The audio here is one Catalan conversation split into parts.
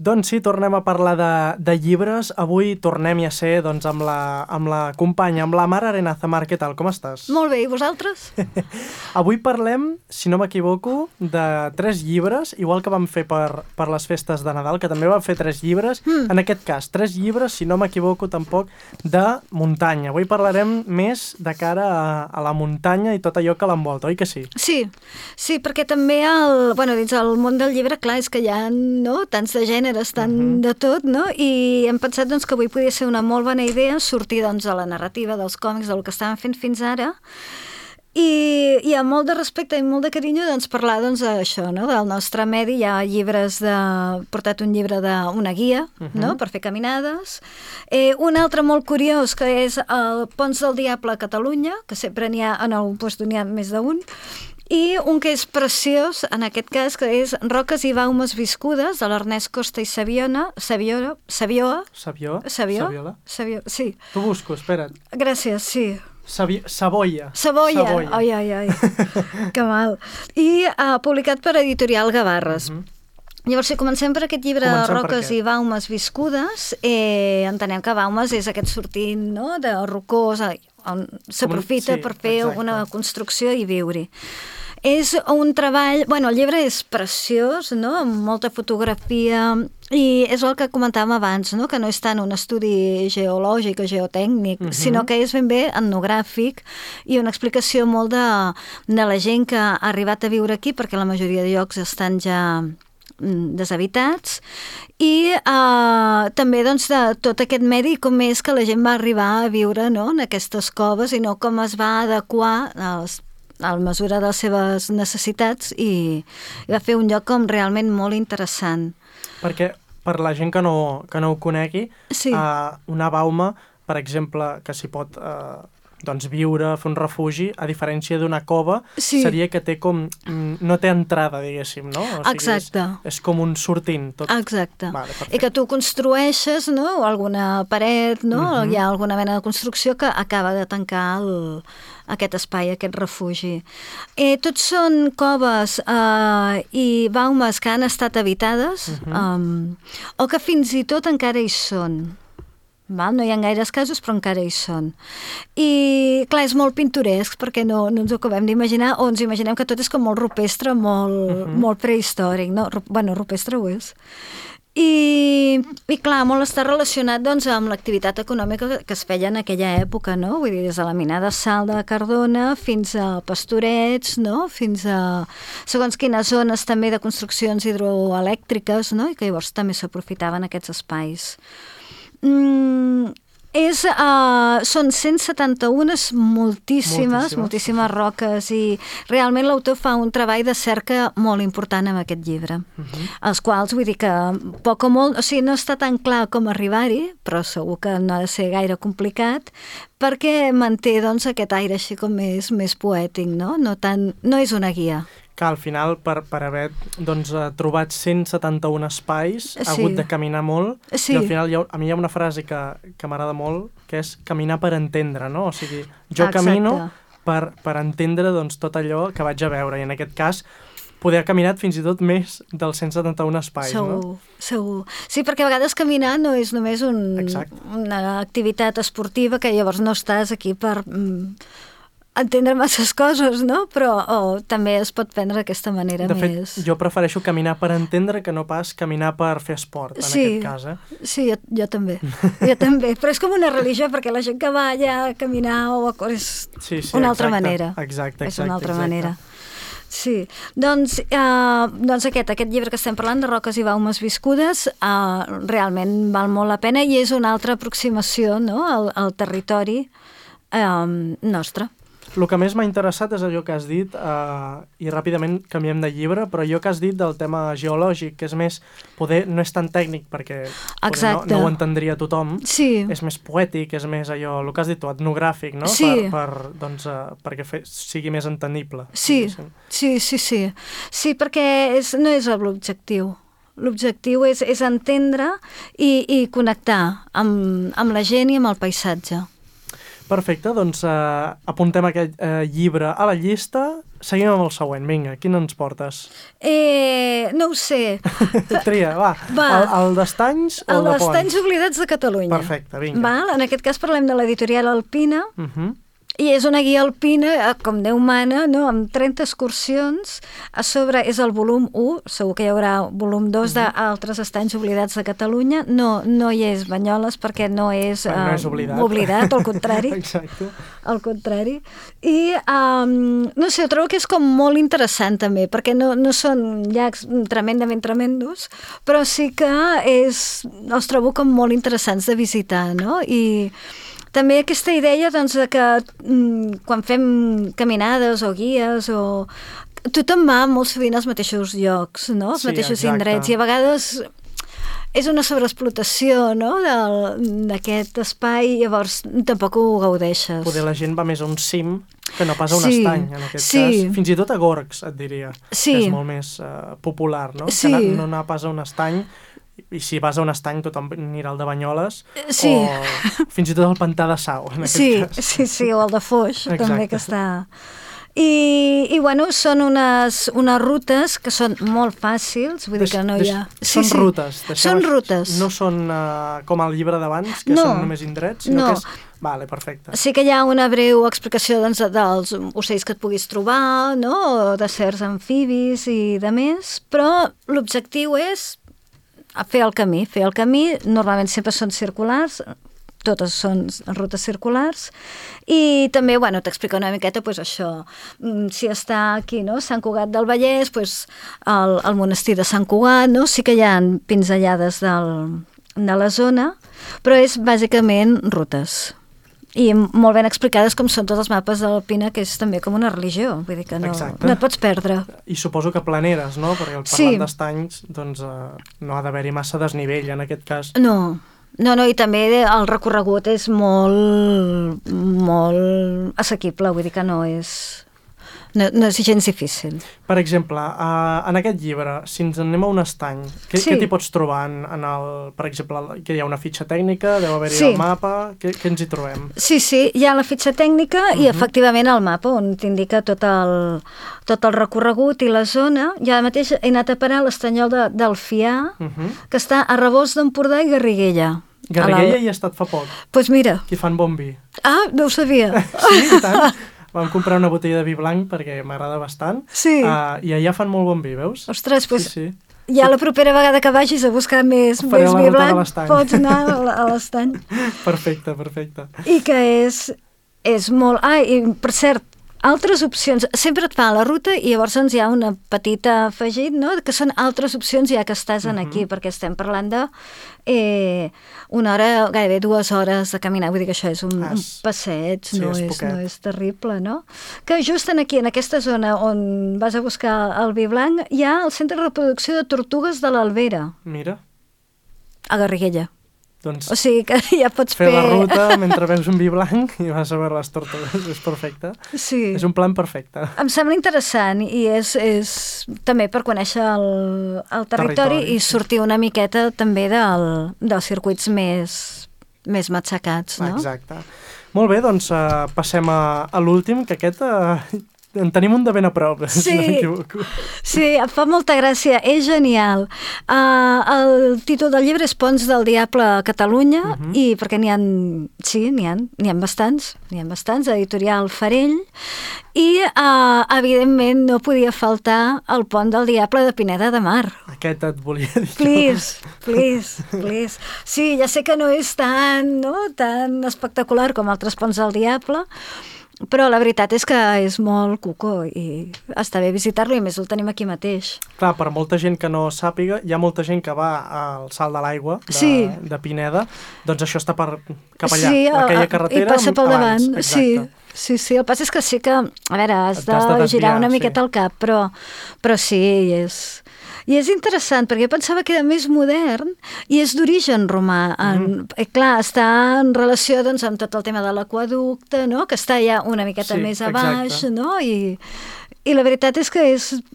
Doncs sí, tornem a parlar de llibres. Avui tornem a ser doncs, amb la companya, amb la Mar Arenaza. Mar, què tal? Com estàs? Molt bé, i vosaltres? Avui parlem, si no m'equivoco, de 3 llibres, igual que vam fer per les festes de Nadal, que també vam fer 3 llibres. En aquest cas, 3 llibres, si no m'equivoco tampoc, de muntanya. Avui parlarem més de cara a la muntanya i tot allò que l'envolta, oi que sí? Sí, perquè també dins el món del llibre, clar, és que hi ha tants de gèneres, tant de tot, no? I hem pensat doncs, que avui podria ser una molt bona idea sortir doncs, de la narrativa dels còmics, del que estàvem fent fins ara, i amb molt de respecte i molt de carinyo doncs, parlar d'això, no? Del nostre medi. Hi ha llibres portat un llibre d'una guia, no? Per fer caminades. Un altre molt curiós, que és el Ponts del Diable a Catalunya, que sempre n'hi ha, en algun lloc n'hi ha més d'un, i un que és preciós, en aquest cas, que és Roques i baumes viscudes, de l'Ernest Costa i Saviola. Saviola? Sí. T'ho busco, espera't. Gràcies, sí. Savoia. Ai, que mal. I publicat per Editorial Gavarres. Llavors, si comencem per aquest llibre de Roques i baumes viscudes, entenem que baumes és aquest sortint, no?, de rocós, on s'aprofita per fer alguna construcció i viure-hi. És un treball... el llibre és preciós, no?, amb molta fotografia, i és el que comentàvem abans, no?, que no és tant un estudi geològic o geotècnic, sinó que és ben bé etnogràfic i una explicació molt de la gent que ha arribat a viure aquí, perquè la majoria de llocs estan ja deshabitats, i també doncs, de tot aquest medi, com és que la gent va arribar a viure, no?, en aquestes coves, i no com es va adequar a la mesura de les seves necessitats, i va fer un lloc com realment molt interessant. Perquè per la gent que no ho conegui, una bauma, per exemple, que s'hi pot doncs viure, fer un refugi, a diferència d'una cova, seria que té com... no té entrada, diguéssim, no? O sigui, exacte. És com un sortint. Tot... Exacte. I que tu construeixes, no?, alguna paret, no?, hi ha alguna mena de construcció que acaba de tancar aquest espai, aquest refugi. Tots són coves i baumes que han estat habitades, o que fins i tot encara hi són. No hi ha gaires casos, però encara hi són. I, clar, és molt pintoresc, perquè no ens ho acabem d'imaginar, o ens imaginem que tot és com molt rupestre, molt prehistòric, no? Rupestre ho és. I clar, molt està relacionat doncs, amb l'activitat econòmica que es feia en aquella època, no? Vull dir, des de la mina de sal de Cardona fins a pastorets, no?, fins a segons quines zones també de construccions hidroelèctriques, no?, i que llavors també s'aprofitaven aquests espais. Són 171, moltíssimes roques, i realment l'autor fa un treball de cerca molt important amb aquest llibre, els quals vull dir que poc o molt, o sigui, no està tan clar com arribar-hi, però segur que no ha de ser gaire complicat, perquè manté doncs, aquest aire així com més poètic, no? No és una guia. Que al final, per haver doncs, trobat 171 espais, ha hagut de caminar molt, i al final a mi hi ha una frase que m'agrada molt, que és caminar per entendre, no? O sigui, jo camino per entendre doncs, tot allò que vaig a veure, i en aquest cas poder ha caminat fins i tot més dels 171 espais, no? Segur. Sí, perquè a vegades caminar no és només una activitat esportiva, que llavors no estàs aquí per... entendre masses coses, no? Però també es pot prendre d'aquesta manera més... De fet, jo prefereixo caminar per entendre que no pas caminar per fer esport, en aquest cas, Sí, jo també. Però és com una religió, perquè la gent que va allà a caminar o a córrer és una altra manera. Exacte. És una altra manera. Sí, doncs aquest llibre que estem parlant, de Roques i baumes viscudes, realment val molt la pena, i és una altra aproximació, no?, al territori nostre. El que més m'ha interessat és allò que has dit, i ràpidament canviem de llibre, però allò que has dit del tema geològic, que és més, no és tan tècnic, perquè no ho entendria tothom, és més poètic, és més allò, el que has dit tu, etnogràfic, no? Perquè sigui més entendible. Sí, perquè no és l'objectiu. L'objectiu és entendre i connectar amb la gent i amb el paisatge. Perfecte, doncs apuntem aquest llibre a la llista. seguim amb el següent. Vinga, quin ens portes? No ho sé. Tria, va. El d'Estanys o el de Pont? El d'Estanys oblidats de Catalunya. Perfecte, vinga. Val? En aquest cas parlem de l'editorial Alpina, i és una guia alpina, com Déu mana, no? Amb 30 excursions. A sobre és el volum 1, segur que hi haurà volum 2 d'altres estanys oblidats de Catalunya. No hi és Banyoles perquè no és, oblidat, al contrari. Exacte. Al contrari. I, no sé, trobo que és com molt interessant també, perquè no són llacs tremendament tremendos, però sí que els trobo com molt interessants de visitar, no? I també aquesta idea doncs, de que quan fem caminades o guies tothom va molt sovint als mateixos llocs, no? Els mateixos indrets, i a vegades és una sobreexplotació, no? d'aquest espai, llavors tampoc ho gaudeixes. Poder la gent va més a un cim que no pas a un estany, en aquest cas. Fins i tot a Gorgs, et diria, que és molt més popular, no? Que no anar pas a un estany. I si vas a un estany tothom anirà al de Banyoles o fins i tot al Pantà de Sau, en aquest cas. Sí, o el de Foix, també, que està... I bueno, són unes rutes que són molt fàcils, vull dir que no hi ha... Són rutes. Són rutes. No són com el llibre d'abans, que són només indrets, sinó que és... Vale, perfecte. Sí que hi ha una breu explicació dels ocells que et puguis trobar, no? O de certs amfibis i de més, però l'objectiu és fer el camí. Normalment sempre són circulars, totes són rutes circulars, i també, t'explica una miqueta, això, si està aquí, no?, Sant Cugat del Vallès, el monestir de Sant Cugat, no?, sí que hi ha pinzellades de la zona, però és bàsicament rutes. I molt ben explicades com són tots els mapes de l'Alpina, que és també com una religió, vull dir que no et pots perdre. I suposo que planeres, no? Perquè parlant d'estanys, doncs no ha d'haver-hi massa desnivell en aquest cas. No, i també el recorregut és molt assequible, vull dir que no és gens difícil. Per exemple, en aquest llibre, si ens anem a un estany, què t'hi pots trobar? Per exemple, que hi ha una fitxa tècnica, deu haver-hi el mapa, què ens hi trobem? Sí, hi ha la fitxa tècnica i efectivament el mapa, on t'indica tot el recorregut i la zona. Jo ara mateix he anat a parar a l'estanyol del Fià, que està a Rebost d'Empordà i Garriguella. Garriguella hi ha estat fa poc. Doncs mira. Qui fan bon vi. Ah, no ho sabia. Sí, i tant. Vam comprar una botella de vi blanc perquè m'agrada bastant. Sí. I allà fan molt bon vi, veus? Ostres, doncs ja la propera vegada que vagis a buscar més vi blanc pots anar a l'estany. Perfecte. I que és molt... i per cert, altres opcions, sempre et fa la ruta i llavors hi ha una petita afegit, no?, que són altres opcions ja que estàs aquí, perquè estem parlant de una hora, gairebé 2 hores de caminar, vull dir que això és un passeig, no és terrible, no? Que just aquí, en aquesta zona on vas a buscar el vi blanc, hi ha el centre de reproducció de tortugues de l'Albera. Mira. A Garriguella. Doncs o sigui que ja pots fer la ruta mentre veus un vi blanc i vas a veure les tortugues, és perfecte. Sí. És un plan perfecte. Em sembla interessant i és també per conèixer el territori i sortir una miqueta també dels circuits més matxacats, no? Exacte. Molt bé, doncs passem a l'últim, que aquest... En tenim un de ben a prop, si no m'equivoco. Sí, em fa molta gràcia, és genial. El títol del llibre és Ponts del Diable a Catalunya, i perquè n'hi ha bastants, editorial Farell, i evidentment no podia faltar el Pont del Diable de Pineda de Mar. Aquest et volia dir. Please. Sí, ja sé que no és tan espectacular com altres Ponts del Diable, però la veritat és que és molt cuco i està bé visitar-lo, i més el tenim aquí mateix. Clar, per molta gent que no sàpiga, hi ha molta gent que va al Salt de l'Aigua de Pineda, doncs això està cap allà, aquella carretera. I passa pel davant, exacte. Sí, el pas és que sí que, a veure, has de girar una miqueta el cap, però sí, i és interessant, perquè jo pensava que era més modern i és d'origen romà. Clar, està en relació amb tot el tema de l'aqüeducte, no?, que està ja una miqueta més a baix, no?, I la veritat és que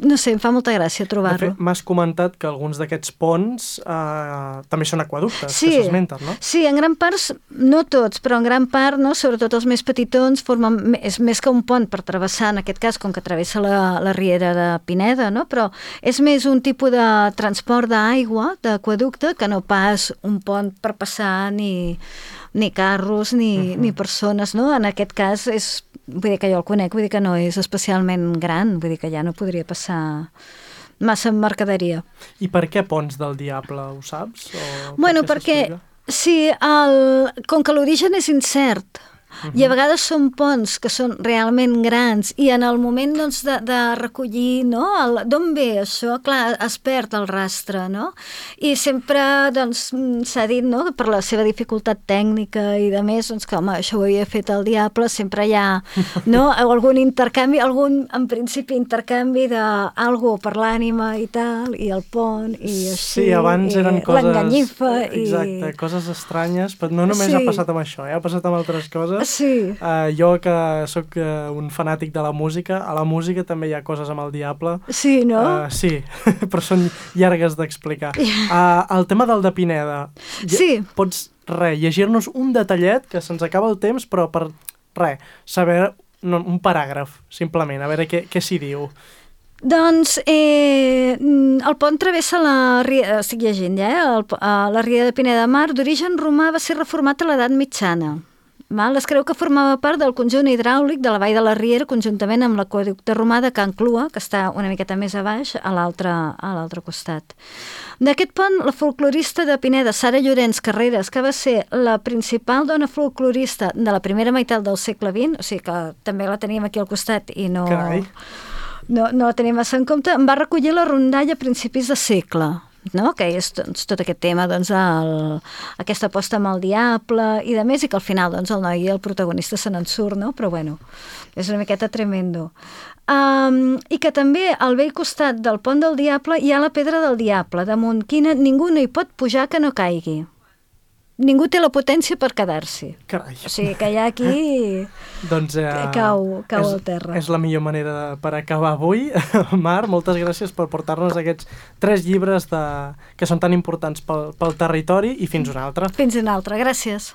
no sé, em fa molta gràcia trobar-lo. De fet, m'has comentat que alguns d'aquests ponts també són aqüeductes, que s'esmenten, no? Sí, en gran part, no tots, però en gran part, no, sobretot els més petitons, és més que un pont per travessar, en aquest cas, com que travessa la riera de Pineda, no? Però és més un tipus de transport d'aigua, d'aqüeducte, que no pas un pont per passar ni carros ni persones, no? En aquest cas vull dir que jo el conec, vull dir que no és especialment gran, vull dir que ja no podria passar massa mercaderia. I per què Ponts del Diable, ho saps? Bueno, perquè sí, com que l'origen és incert, i a vegades són ponts que són realment grans i en el moment doncs, de recollir, no? D'on ve això? Clar, es perd el rastre, no? I sempre doncs, s'ha dit, no?, per la seva dificultat tècnica i de més, doncs, que home, això ho havia fet el Diable, sempre hi ha, no?, algun intercanvi, en principi intercanvi d'algú per l'ànima i tal, i el pont, i així, sí, abans eren coses... l'enganyifa. Exacte, coses estranyes, però no només ha passat amb això, ha passat amb altres coses. Sí. Jo, que sóc un fanàtic de la música, a la música també hi ha coses amb el Diable. Sí, no? Sí, però són llargues d'explicar. El tema del de Pineda. Sí. Pots, llegir-nos un detallet, que se'ns acaba el temps, però per, saber un paràgraf, simplement, a veure què s'hi diu. Doncs el pont travessa la riera, estic llegint ja, la riera de Pineda de Mar, d'origen romà, va ser reformat a l'edat mitjana. Es creu que formava part del conjunt hidràulic de la vall de la Riera, conjuntament amb l'aqüeducte romà de Can Clua, que està una miqueta més a baix, a l'altre costat. D'aquest pont, la folclorista de Pineda, Sara Llorenç Carreras, que va ser la principal dona folclorista de la primera meitat del segle XX, o sigui que també la teníem aquí al costat i no la tenim massa en compte, en va recollir la rondalla a principis de segle, no? Que és doncs, tot aquest tema, doncs, aquesta aposta amb el Diable i de més, i que al final doncs, el noi i el protagonista se n'en surt, no? Però bueno, és una miqueta tremendo. I que també al vell costat del pont del Diable hi ha la pedra del Diable, damunt quina ningú no hi pot pujar que no caigui. Ningú té la potència per quedar-s'hi. Carai. O sigui que ja aquí doncs, cau al terra. És la millor manera per acabar avui. Mar, moltes gràcies per portar-nos aquests 3 llibres que són tan importants pel territori i fins una altra. Fins una altra, gràcies.